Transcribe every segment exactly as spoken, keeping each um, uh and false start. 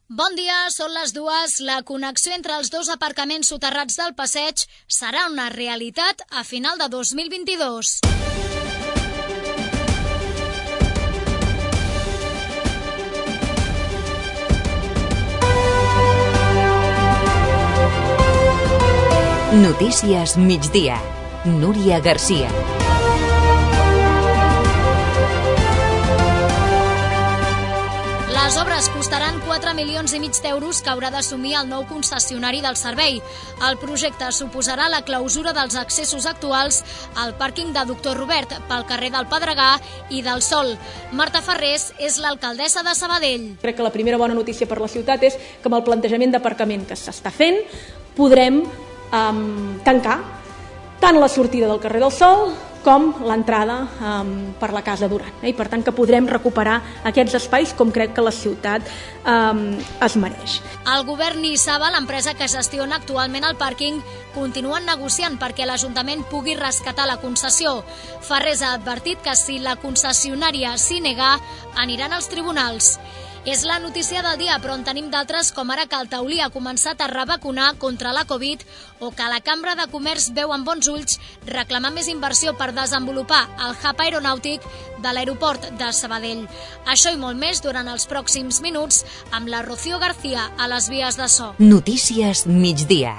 Bon dia, són les dues. La connexió entre els dos aparcaments soterrats del passeig serà una realitat a final de dos mil vint-i-dos. Notícies migdia. Núria Garcia. Les obres costaran quatre milions i mig d'euros que haurà d'assumir el nou concessionari del servei. El projecte suposarà la clausura dels accessos actuals al pàrquing de Doctor Robert pel carrer del Pedregà i del Sol. Marta Ferrés és l'alcaldessa de Sabadell. Crec que la primera bona notícia per la ciutat és que amb el plantejament d'aparcament que s'està fent podrem um, tancar tant la sortida del carrer del Sol com l'entrada um, per la Casa Duran. Eh? I per tant que podrem recuperar aquests espais com crec que la ciutat um, es mereix. El govern i Saba, l'empresa que gestiona actualment el pàrquing, continuen negociant perquè l'Ajuntament pugui rescatar la concessió. Ferrés ha advertit que si la concessionària s'hi nega, aniran als tribunals. És la notícia del dia, però en tenim d'altres, com ara que el Taulí ha començat a revacunar contra la Covid o que la Cambra de Comerç veu amb bons ulls reclamar més inversió per desenvolupar el hub aeronàutic de l'aeroport de Sabadell. Això i molt més durant els pròxims minuts amb la Rocío García a les vies de so. Notícies migdia.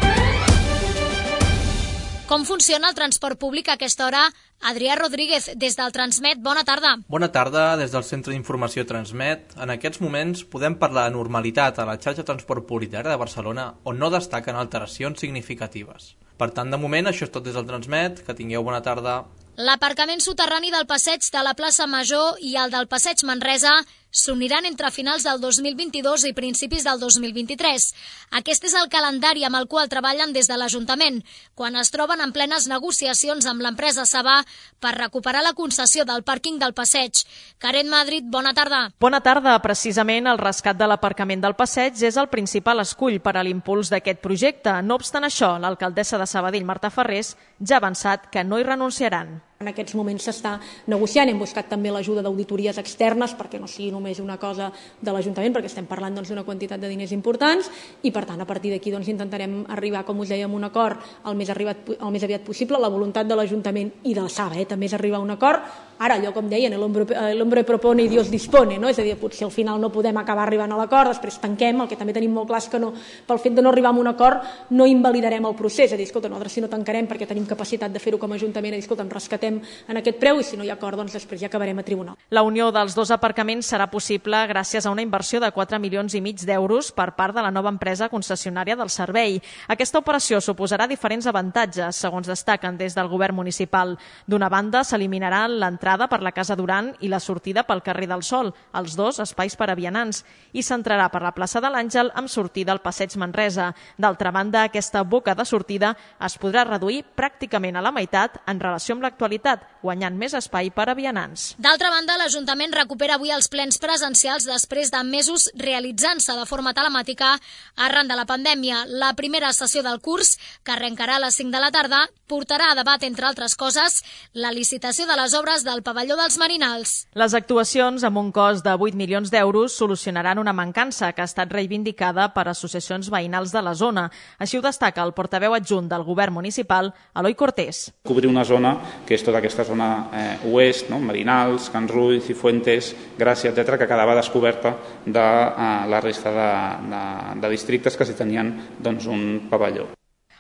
Com funciona el transport públic a aquesta hora? Adrià Rodríguez, des del Transmet, bona tarda. Bona tarda, des del Centre d'Informació Transmet. En aquests moments podem parlar de normalitat a la xarxa de transport públic de Barcelona, on no destaquen alteracions significatives. Per tant, de moment, això és tot des del Transmet. Que tingueu bona tarda. L'aparcament soterrani del passeig de la plaça Major i el del passeig Manresa s'uniran entre finals del dos mil vint-i-dos i principis del dos mil vint-i-tres. Aquest és el calendari amb el qual treballen des de l'Ajuntament, quan es troben en plenes negociacions amb l'empresa Saba per recuperar la concessió del pàrquing del passeig. Karen Madrid, bona tarda. Bona tarda. Precisament el rescat de l'aparcament del passeig és el principal escull per a l'impuls d'aquest projecte. No obstant això, l'alcaldessa de Sabadell, Marta Ferrés, ja ha avançat que no hi renunciaran. En aquests moments s'està negociant, hem buscat també l'ajuda d'auditories externes perquè no sigui només una cosa de l'Ajuntament, perquè estem parlant doncs, d'una quantitat de diners importants i per tant a partir d'aquí doncs, intentarem arribar, com us dèiem, a un acord el més, arribat, el més aviat possible. La voluntat de l'Ajuntament i de la Saba eh, també és arribar a un acord. Ara, allò com deien, l'hombre propone i Dios dispone, no? És a dir, potser al final no podem acabar arribant a l'acord, després tanquem, el que també tenim molt clar és que no, pel fet de no arribar a un acord no invalidarem el procés, és a dir, escolta, nosaltres si no tancarem perquè tenim capacitat de fer-ho com a Ajuntament, és a dir, escolta, rescatem en aquest preu i si no hi ha acord, doncs després ja acabarem a tribunal. La unió dels dos aparcaments serà possible gràcies a una inversió de quatre milions i mig d'euros per part de la nova empresa concessionària del servei. Aquesta operació suposarà diferents avantatges, segons destaquen des del govern municipal. D'una banda, s'eliminarà l'entrada per la Casa Duran i la sortida pel carrer del Sol, els dos espais per a vianants, i s'entrarà per la plaça de l'Àngel amb sortida al passeig Manresa. D'altra banda, aquesta boca de sortida es podrà reduir pràcticament a la meitat en relació amb l'actualitat, guanyant més espai per a vianants. D'altra banda, l'Ajuntament recupera avui els plens presencials després de mesos realitzant-se de forma telemàtica arran de la pandèmia. La primera sessió del curs, que arrencarà a les cinc de la tarda, portarà a debat, entre altres coses, la licitació de les obres del pavelló dels Marinals. Les actuacions, amb un cost de vuit milions d'euros, solucionaran una mancança que ha estat reivindicada per associacions veïnals de la zona. Així ho destaca el portaveu adjunt del govern municipal, Eloi Cortés. Cobrir una zona que és tota aquesta zona eh, oest, no? Marinals, Can Rull, Cifuentes, Gràcia, etcètera, que quedava descoberta de eh, la resta de, de, de districtes que s'hi tenien doncs, un pavelló.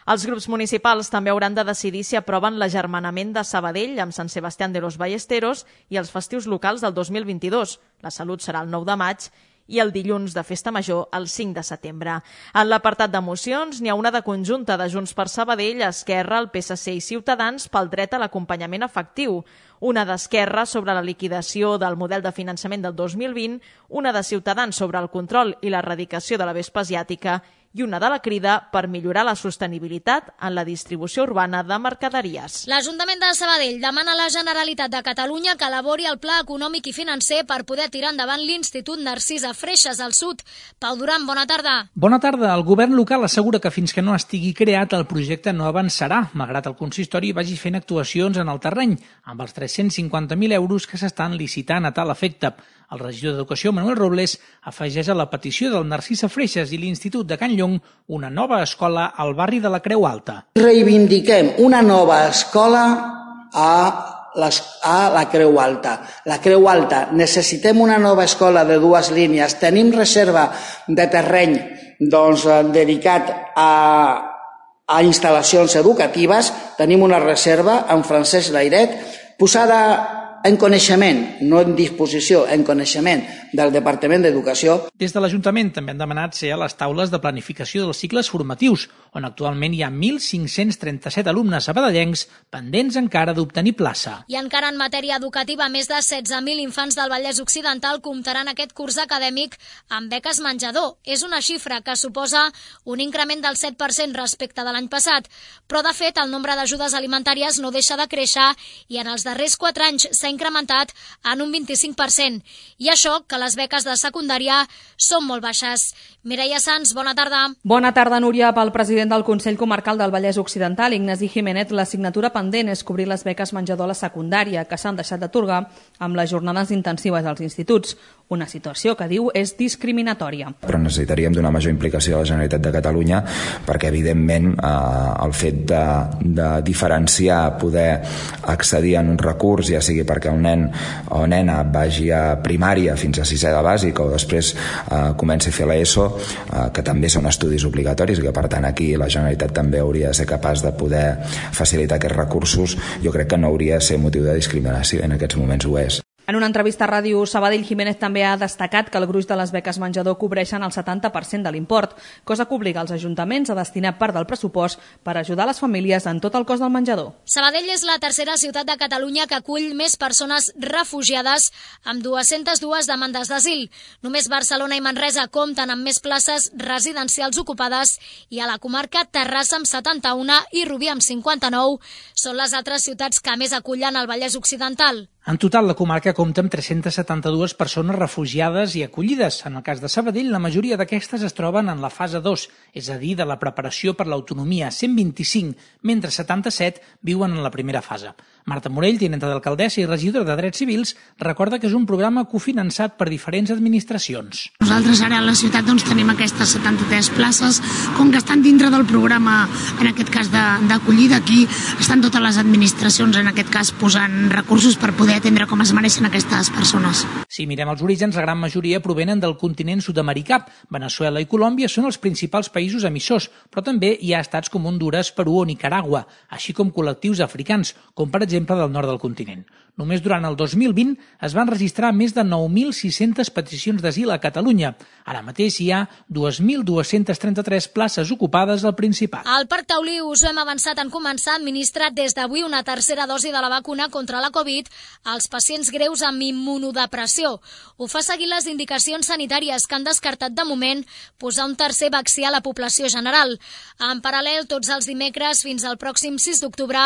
Els grups municipals també hauran de decidir si aproven l'agermanament de Sabadell amb Sant Sebastián de los Ballesteros i els festius locals del dos mil vint-i-dos. La Salut serà el nou de maig i el dilluns de Festa Major el cinc de setembre. En l'apartat de mocions n'hi ha una de conjunta de Junts per Sabadell, Esquerra, el P S C i Ciutadans pel dret a l'acompanyament efectiu. Una d'Esquerra sobre la liquidació del model de finançament del dos mil vint, una de Ciutadans sobre el control i l'erradicació de la vespa asiàtica i una de la Crida per millorar la sostenibilitat en la distribució urbana de mercaderies. L'Ajuntament de Sabadell demana a la Generalitat de Catalunya que elabori el pla econòmic i financer per poder tirar endavant l'Institut Narcís a Freixes al Sud. Pau Duran, bona tarda. Bona tarda. El govern local assegura que fins que no estigui creat el projecte no avançarà, malgrat el consistori vagi fent actuacions en el terreny, amb els tres-cents cinquanta mil euros que s'estan licitant a tal efecte. El regidor d'Educació, Manuel Robles, afegeix a la petició del Narcisa Freixas i l'Institut de Can Llong una nova escola al barri de la Creu Alta. Reivindiquem una nova escola a, les, a la Creu Alta. La Creu Alta, necessitem una nova escola de dues línies. Tenim reserva de terreny doncs, dedicat a a instal·lacions educatives, tenim una reserva amb Francesc Layret posada en coneixement, no en disposició, en coneixement del Departament d'Educació. Des de l'Ajuntament també han demanat ser a les taules de planificació dels cicles formatius, on actualment hi ha mil cinc-cents trenta-set alumnes sabadellencs pendents encara d'obtenir plaça. I encara en matèria educativa, més de setze mil infants del Vallès Occidental comptaran aquest curs acadèmic amb beques menjador. És una xifra que suposa un increment del set per cent respecte de l'any passat, però de fet el nombre d'ajudes alimentàries no deixa de créixer i en els darrers quatre anys s'ha incrementat en un vint-i-cinc per cent. I això que les beques de secundària són molt baixes. Mireia Sans, bona tarda. Bona tarda, Núria. Pel president del Consell Comarcal del Vallès Occidental, Ignasi Jiménez, l'assignatura pendent és cobrir les beques menjador a la secundària, que s'han deixat d'atorgar amb les jornades intensives als instituts. Una situació que diu és discriminatòria. Però necessitaríem d'una major implicació de la Generalitat de Catalunya perquè, evidentment, eh, el fet de, de diferenciar, poder accedir en un recurs, ja sigui perquè un nen o nena vagi a primària fins a sisè de bàsica o després eh, comenci a fer l'ESO, eh, que també són estudis obligatoris i que, per tant, aquí la Generalitat també hauria de ser capaç de poder facilitar aquests recursos, jo crec que no hauria de ser motiu de discriminació, en aquests moments ho és. En una entrevista a Ràdio Sabadell, Jiménez també ha destacat que el gruix de les beques menjador cobreixen el setanta per cent de l'import, cosa que obliga els ajuntaments a destinar part del pressupost per ajudar les famílies en tot el cost del menjador. Sabadell és la tercera ciutat de Catalunya que acull més persones refugiades amb dues-centes dues demandes d'asil. Només Barcelona i Manresa compten amb més places residencials ocupades i a la comarca Terrassa amb setanta-u i Rubí amb cinquanta-nou són les altres ciutats que més acullen al Vallès Occidental. En total, la comarca compta amb tres-centes setanta-dues persones refugiades i acollides. En el cas de Sabadell, la majoria d'aquestes es troben en la fase dos, és a dir, de la preparació per l'autonomia, cent vint-i-cinc, mentre setanta-set viuen en la primera fase. Marta Morell, tinenta d'alcaldessa i regidora de Drets Civils, recorda que és un programa cofinançat per diferents administracions. Nosaltres ara a la ciutat doncs, tenim aquestes setanta-tres places, com que estan dintre del programa, en aquest cas d'acollida, aquí estan totes les administracions, en aquest cas, posant recursos per poder atendre com es mereixen aquestes persones. Si mirem els orígens, la gran majoria provenen del continent sud-americà. Veneçuela i Colòmbia són els principals països emissors, però també hi ha estats com Hondures, Perú o Nicaragua, així com col·lectius africans, com per exemple del nord del continent. Només durant el dos mil vint es van registrar més de nou mil sis-centes peticions d'asil a Catalunya. Ara mateix hi ha dos mil dues-centes trenta-tres places ocupades al Principat. Al Parc Taulí us hem avançat en començar a administrar des d'avui una tercera dosi de la vacuna contra la Covid als pacients greus amb immunodepressió. Ho fa seguir les indicacions sanitàries que han descartat de moment posar un tercer vaccí a la població general. En paral·lel, tots els dimecres fins al pròxim sis d'octubre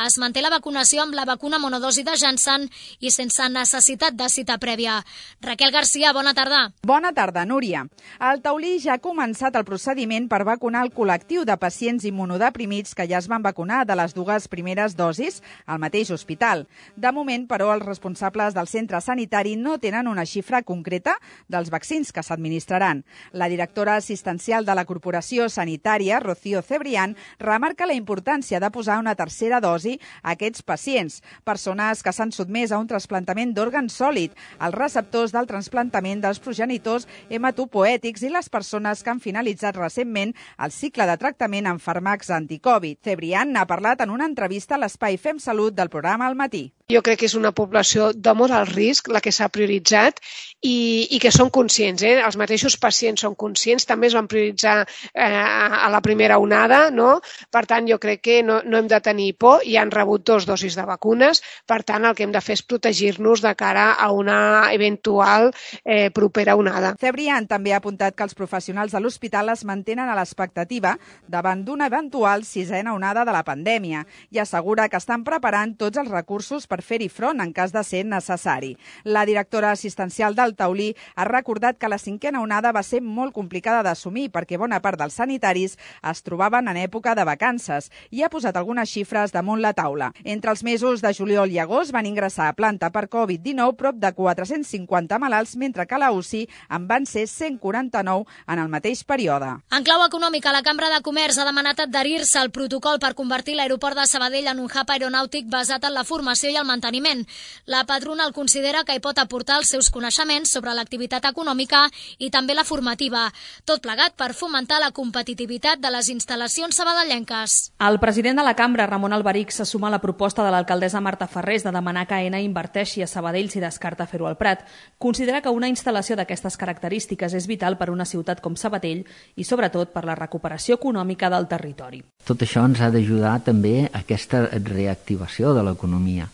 es manté la vacunació amb la vacuna monodosi de Janssen i sense necessitat de cita prèvia. Raquel Garcia, bona tarda. Bona tarda, Núria. Al Taulí ja ha començat el procediment per vacunar el col·lectiu de pacients immunodeprimits que ja es van vacunar de les dues primeres dosis al mateix hospital. De moment, però, els responsables del centre sanitari no tenen una xifra concreta dels vaccins que s'administraran. La directora assistencial de la Corporació Sanitària, Rocío Cebrián, remarca la importància de posar una tercera dosi a aquests pacients, persones que s'han sotmès a un trasplantament d'òrgan sòlid, els receptors del trasplantament dels progenitors hematopoètics i les persones que han finalitzat recentment el cicle de tractament amb fàrmacs anticovid. Cebrián n'ha parlat en una entrevista a l'espai Fem Salut del programa Al Matí. Jo crec que és una població de molt alt risc, la que s'ha prioritzat, i, i que són conscients. Eh? Els mateixos pacients són conscients, també es van prioritzar eh, a la primera onada, no? Per tant, jo crec que no, no hem de tenir por, i han rebut dos dosis de vacunes, per tant, el que hem de fer és protegir-nos de cara a una eventual eh, propera onada. Cebrián també ha apuntat que els professionals de l'hospital es mantenen a l'expectativa davant d'una eventual sisena onada de la pandèmia i assegura que estan preparant tots els recursos per fer-hi front en cas de ser necessari. La directora assistencial del Taulí ha recordat que la cinquena onada va ser molt complicada d'assumir perquè bona part dels sanitaris es trobaven en època de vacances i ha posat algunes xifres damunt la taula. Entre els mesos de juliol i agost van ingressar a planta per covid dinou prop de quatre-cents cinquanta malalts, mentre que a la U C I en van ser cent quaranta-nou en el mateix període. En clau econòmica, la Cambra de Comerç ha demanat adherir-se al protocol per convertir l'aeroport de Sabadell en un hub aeronàutic basat en la formació i el manteniment. La patronal considera que hi pot aportar els seus coneixements sobre l'activitat econòmica i també la formativa, tot plegat per fomentar la competitivitat de les instal·lacions sabadellenques. El president de la Cambra, Ramon Alberich, se suma a la proposta de l'alcaldessa Marta Ferrés de demanar que Aena inverteixi a Sabadell si descarta fer-ho al Prat. Considera que una instal·lació d'aquestes característiques és vital per una ciutat com Sabadell i, sobretot, per la recuperació econòmica del territori. Tot això ens ha d'ajudar també a aquesta reactivació de l'economia.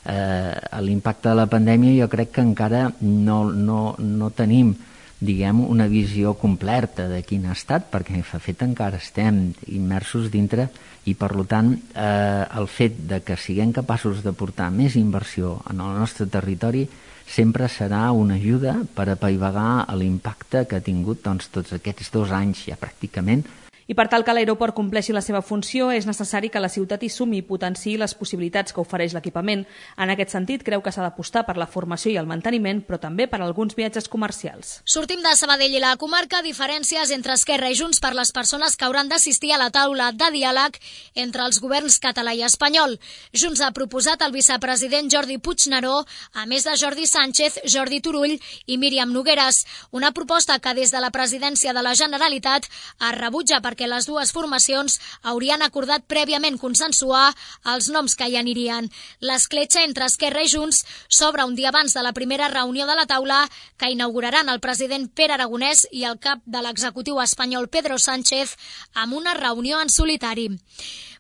Eh, l'impacte de la pandèmia jo crec que encara no, no, no tenim diguem, una visió completa de quin ha estat, perquè de fet encara estem immersos dintre i, per tant, eh, el fet de que siguem capaços de portar més inversió en el nostre territori sempre serà una ajuda per apaivagar l'impacte que ha tingut doncs, tots aquests dos anys ja pràcticament. I per tal que l'aeroport compleixi la seva funció, és necessari que la ciutat hi sumi i potenciï les possibilitats que ofereix l'equipament. En aquest sentit, creu que s'ha d'apostar per la formació i el manteniment, però també per alguns viatges comercials. Sortim de Sabadell i la comarca, diferències entre Esquerra i Junts per les persones que hauran d'assistir a la taula de diàleg entre els governs català i espanyol. Junts ha proposat el vicepresident Jordi Puigneró, a més de Jordi Sánchez, Jordi Turull i Míriam Nogueres. Una proposta que des de la presidència de la Generalitat es rebutja per perquè les dues formacions haurien acordat prèviament consensuar els noms que hi anirien. L'escletxa entre Esquerra i Junts s'obre un dia abans de la primera reunió de la taula que inauguraran el president Pere Aragonès i el cap de l'executiu espanyol Pedro Sánchez amb una reunió en solitari.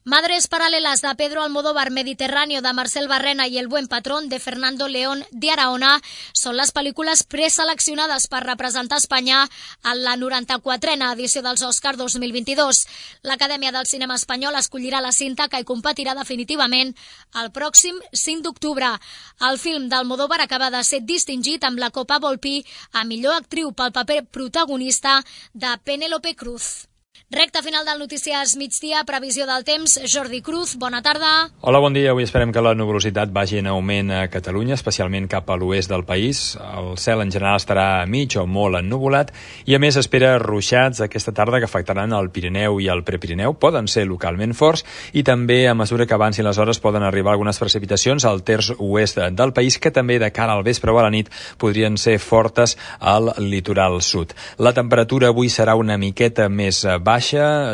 Madres paralelas de Pedro Almodóvar, Mediterráneo de Marcel Barrena i El buen patrón de Fernando León de Araona són les pel·lícules preseleccionades per representar Espanya en la noranta-quatrena edició dels Òscar dos mil vint-i-dos. L'Acadèmia del Cinema Espanyol escollirà la cinta que hi competirà definitivament el pròxim cinc d'octubre. El film d'Almodóvar acaba de ser distingit amb la Copa Volpi a millor actriu pel paper protagonista de Penélope Cruz. Recta final del Notícies Migdia, previsió del temps. Jordi Cruz, bona tarda. Hola, bon dia. Avui esperem que la nuvolositat vagi en augment a Catalunya, especialment cap a l'oest del país. El cel en general estarà mig o molt ennuvolat i a més espera ruixats aquesta tarda que afectaran el Pirineu i el Prepirineu. Poden ser localment forts i també a mesura que avancin les hores poden arribar algunes precipitacions al terç oest del país que també de cara al vespre o a la nit podrien ser fortes al litoral sud. La temperatura avui serà una miqueta més baixa,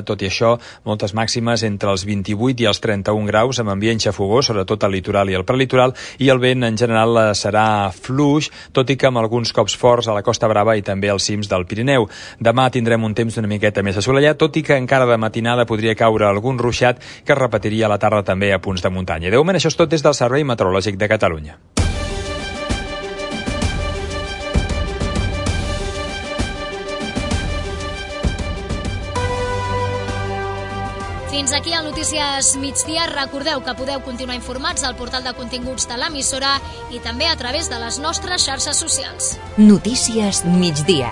tot i això, moltes màximes entre els vint-i-vuit i els trenta-un graus amb ambient xafogós, sobretot al litoral i al prelitoral, i el vent en general serà fluix, tot i que amb alguns cops forts a la Costa Brava i també als cims del Pirineu. Demà tindrem un temps una miqueta més assolellat, tot i que encara de matinada podria caure algun ruixat que es repetiria a la tarda també a punts de muntanya. De moment, això és tot des del Servei Meteorològic de Catalunya. Fins aquí el Notícies Migdia. Recordeu que podeu continuar informats al portal de continguts de l'emissora i també a través de les nostres xarxes socials. Notícies Migdia.